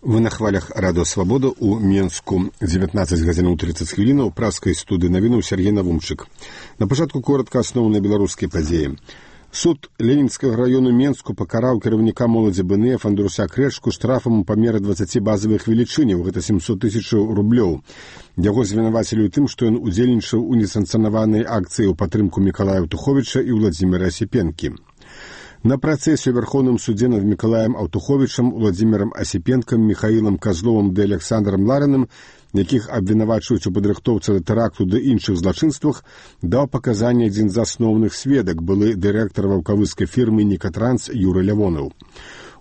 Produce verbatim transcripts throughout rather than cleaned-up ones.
Вы на хвалях радыё Свабода у Менску дзевятнаццаць гадзінаў трыццаць хвілінаў праскай студыі навінуў Сергей Навумчык. На пачатку коротка асноўныя беларускія падзеі. Суд Ленінскага раёну Менску пакараў кіраўніка моладзі БНЭ Фандруся Крэчку штрафам у памеры дваццаці базавых велічыняў, гэта сямсот тысячаў рублёў. Яго звінавацілі ў тым, што ён удзельнічаў у несанкцыянаванай акцыі ў падтрымку Мікалая Аўтуховіча і Владзіміра Асіпенкі. На працэсе ў Верховным судзе над Мікалаем Аўтуховічам, Владзімірам Асіпенкам, Міхаілам Казловым ды Александрам Ларыным, якіх абвінавачваюць у падрыхтоўцы да тэракту ды іншых злачынствах, даў паказанні адзін з асноўных сведак, былы дырэктар ваўкавыскай фірмы «Нікатранс» Юры Лявонаў.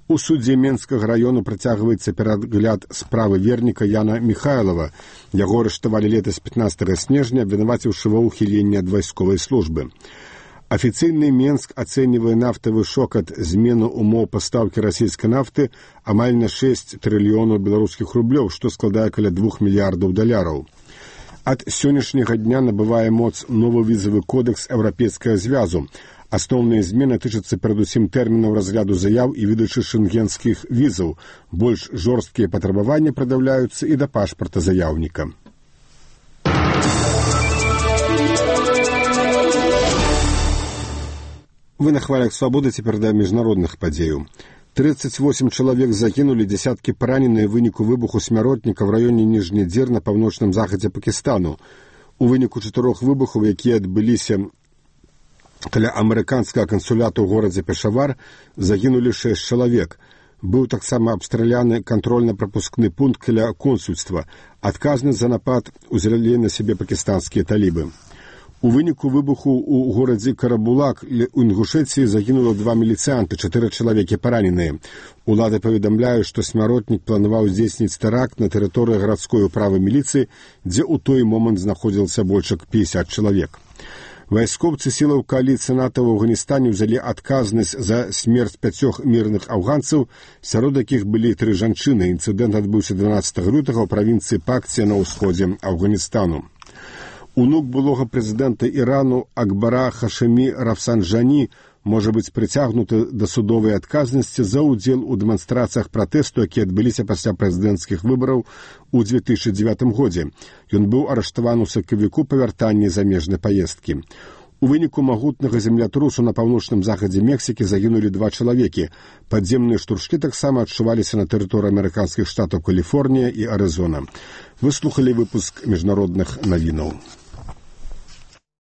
У судзе Менскага раёну працягваецца перагляд справы верніка Яна Міхайлава. Яго арыштавалі летась пятнаццатага снежня, абвінаваціўшы ва ўхіленні ад вайсковай службы. Афіцыйны Менск ацэньвае нафтавы шок ад змены ўмоў пастаўкі расійскай нафты амаль на шэсць трыльёнаў беларускіх рублёў, што складае каля двух мільярдаў даляраў. Ад сённяшняга дня набывае моц новы візавы кодекс Еўрапейскага звязу. Асноўныя змены тычацца перадусім тэрмінаў разгляду заяў і выдачы шэнгенскіх візаў. Больш жорсткія патрабаванні прадаўляюцца і да пашпарта заяўніка. Вы на хвалях Свабоды, цяпер да міжнародных падзеяў. трыццаць восем чалавек загінулі, дзесяткі параненыя ў выніку выбуху смяротніка ў раёне Ніжні Дзер на паўночным захадзе Пакістану. У выніку чатырох выбухаў, якія адбыліся каля амерыканскага кансуляту ў горадзе Пешавар, загінулі шэсць чалавек. Быў таксама абстраляны кантрольна-прапускны пункт каля консульства. Адказнасць за напад узялі на сябе пакістанскія талібы. У выніку выбуху ў горадзе Карабулак у Інгушэцыі загінула два міліцыянты, чатыры чалавекі параненыя. Улады паведамляюць, што смяротнік планаваў здзейсніць тэракт на тэрыторыі гарадской управы міліцыі, дзе ў той момант знаходзілася больш як пятьдесят чалавек. Вайскоўцы сілаў кааліцыі НАТО ў Афганістане ўзялі адказнасць за смерць пяцёх мірных афганцаў, сярод якіх былі тры жанчыны. Інцыдэнт адбыўся дванаццатага лютага ў правінцыі Пакція на ўсходзе Афганістану. Унук былога прэзідэнта Ірану Акбара Хашемі Рафсанджані можа быць прыцягнуты да судовай адказнасці за ўдзел у дэманстрацыях пратэсту, якія адбыліся пасля прэзідэнцкіх выбараў у дзве тысячы дзевятым годзе. Ён быў арыштаваны ў сакавіку па вяртанні замежнай паездкі. У выніку магутнага землятрусу на паўночным захадзе Мексікі загінулі два чалавекі. Падземныя штуршкі таксама адчуваліся на тэрыторыі амерыканскіх штатаў Каліфорнія і Арызона. Вы слухалі выпуск міжнародных навінаў.